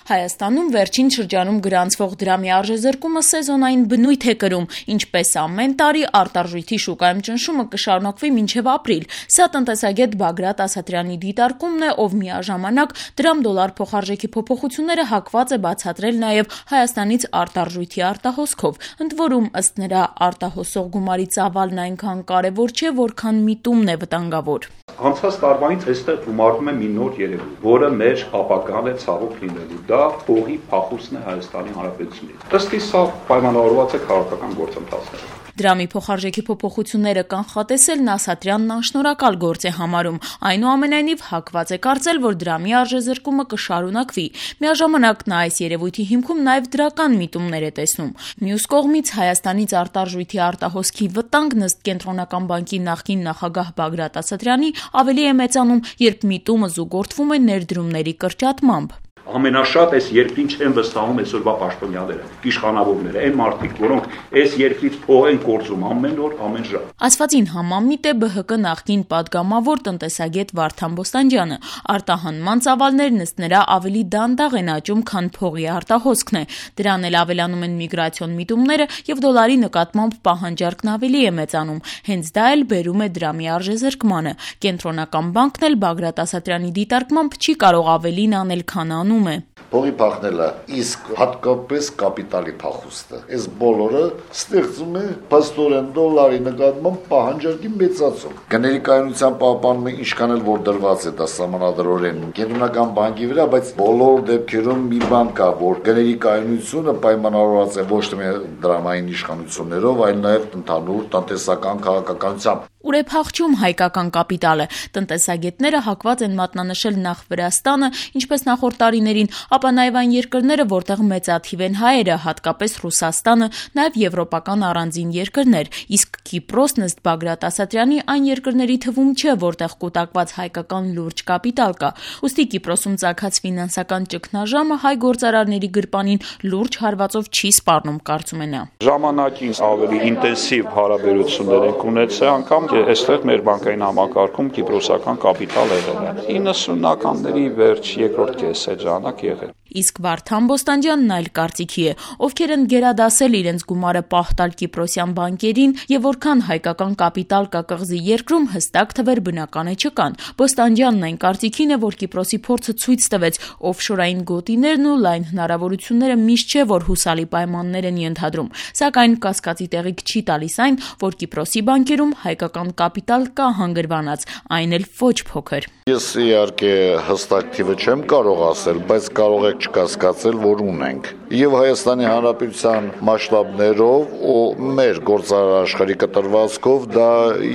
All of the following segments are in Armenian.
Հայաստանում վերջին շրջանում գրանցվող դրամի արժեզրկումը սեզոնային բնույթ է կրում, ինչպես ամեն տարի արտարժույթի շուկայում ճնշումը կշարունակվի մինչև ապրիլ։ Սա տնտեսագետ Բագրատ Ասատրյանի դիտարկումն է, ով միաժամանակ դրամ-դոլար փոխարժեքի փոփոխությունները հակված է բացատրել նաև Հայաստանից արտարժույթի արտահոսքով։ Ընդ որում, ըստ նրա, արտահոսող գումարի ծավալն այնքան կարևոր չէ, որքան միտումն է վտանգավոր։ Անցած տարվանից այստեղ գումարվում է մի նոր երևույթ, որը մեր ապագան է ցավոք լինելու։ Դա փողի փախուստն է Հայաստանի Հանրապետությունից։ Ըստ իս սա պայմանավորված է քաղաքական գործընթացներով։ Դրամի փոխարժեքի փոփոխությունները կանխատեսելն Ասատրյանն անշնորհակալ գործ է համարում, այնուամենայնիվ հակված է կարծել, որ դրամի արժեզրկումը կշարունակվի։ Միաժամանակ նա այս երևույթի հիմքում նաև դրական միտումներ է տեսնում։ Մյուս կողմից Հայաստանից արտարժույթի արտահոսքի վտանգն ըստ Կենտրոնական բանկի նախկին նախագահ Բագրատ Ասատրյանի ավելի է մեծանում, երբ միտումը զուգորդվում է ներդրումների կրճատմամբ։ Ամենաշատ այս երկրին չեն վստահում այսօրվա պաշտոնյաները, իշխանավորները, այն մարդիկ, որոնք այս երկրից փող են կորցում ամեն օր, ամեն ժամ։ Ասվածին համամիտ է ԲՀԿ նախկին падգամավոր տնտեսագետ Վարդան Բոստանջյանը։ Արտահանման ծավալներն ըստ նրա ավելի դանդաղ են աճում, քան փողի արտահոսքն է։ Դրան էլ ավելանում են միգրացիոն միտումները եւ դոլարի նկատմամբ պահանջարկն ավելի է մեծանում։ Հենց դա էլ բերում է դրամի արժեզրկմանը։ Կենտրոնական բանկն էլ Բագրատ Ասատրյանի դիտարկմամբ չի կարող ավելին անել, քան անում է։ Փողի փախնելը, իսկ հատկապես կապիտալի փախուստը։ Այս բոլորը ստեղծում է փաստորեն դոլարի նկատմամբ պահանջարկի մեծացում։ Գների կայունության պահպանումը ինչքան էլ որ դրված է դա սահմանադրորեն Կենտրոնական բանկի վրա, բայց բոլոր դեպքերում մի բան կա, որ գների կայունությունը պայմանավորված է ոչ թե դրամային իշխանություններով, այլ նաև ընդհանուր տնտեսական քաղաքականությամբ։ Ուր է փախչում հայկական կապիտալը։ Տնտեսագետները հակված են մատնանշել նախ Վրաստանը, ինչպես նախորդ տարիներին, ապա նաև այն երկրները, որտեղ մեծաթիվ են հայերը, հատկապես Ռուսաստանը, նաև եվրոպական առանձին երկրներ, իսկ Կիպրոսն ըստ Բագրատ Ասատրյանի այն երկրների թվում չէ, որտեղ կուտակված հայկական լուրջ կապիտալ կա։ Ուստի Կիպրոսում ծագած ֆինանսական ճգնաժամը հայ գործարարների գրպանին լուրջ հարվածով չի սպառնում, կարծում է նա։ Ժամանակին ավելի ինտենսիվ հարաբերություններ ենք ունեցել, անգամ այստեղ մեր բանկային համակարգում կիպրոսական կապիտալ եղել է 90-ականների վերջ երկրորդ կեսեր ժամանակ եղել։ Իսկ Վարդան Բոստանջյանն այլ կարծիքի է, ովքեր են գերադասել իրենց գումարը պահտալ կիպրոսյան բանկերին եւ որքան հայկական կապիտալ կա կղզի երկրում հստակ թվեր բնական է չկան։ Բոստանջյանն այն կարծիքին է, որ Կիպրոսի փորձը ցույց տվեց օֆշորային գոտիներն ու լայն հնարավորությունները միշտ չէ, որ հուսալի պայմաններ են ենթադրում։ Սակայն կասկածի տեղիք չի տալիս այն, որ Կիպրոսի բանկերում հայկական կապիտալ կա հանգրվանած, այն էլ ոչ փոքր։ Ես իհարկե հստակ թիվը չեմ կարող ասել, բայց կարող եք չկասկածել, որ ունենք։ Եվ Հայաստանի Հանրապետության մասշտաբներով ու մեր գործարար աշխարհի կտրվածքով դա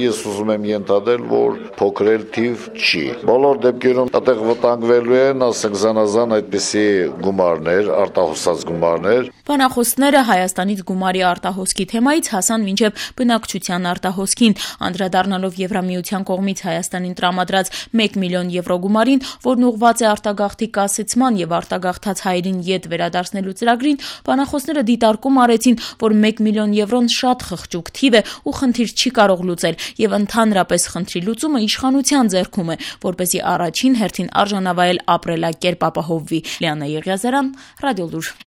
ես ուզում եմ ենթադրել, որ փոքրել թիվ չի։ Բոլոր դեպքերում այդտեղ վտանգվելու են, ասենք զանազան այդպիսի գումարներ, արտահոսած գումարներ։ Բանախոսները Հայաստանից գումարի արտահոսքի թեմայից հասան մինչև բնակչության արտահոսքին, անդրադառնալով Եվրամիության կողմից Հայաստանին տրամադրած 1 միլիոն եվրո գումարին, որն ուղղված է արտագաղթի կասեցման եւ արտագաղթած հայերին յետ վերադարձնելու ծրագրին, բանախոսները դիտարկում արեցին, որ 1 միլիոն եվրոն շատ խղճուկ թիվ է ու խնդիր չի կարող լուծել եւ ընդհանրապես խնդրի լուծումը իշխանության ձեռքում է, որպեսզի առաջին հերթին արժանավայել ապրելակերպ ապահովվի։ Լիանա Եղիազարյան, Ռադիոլուր։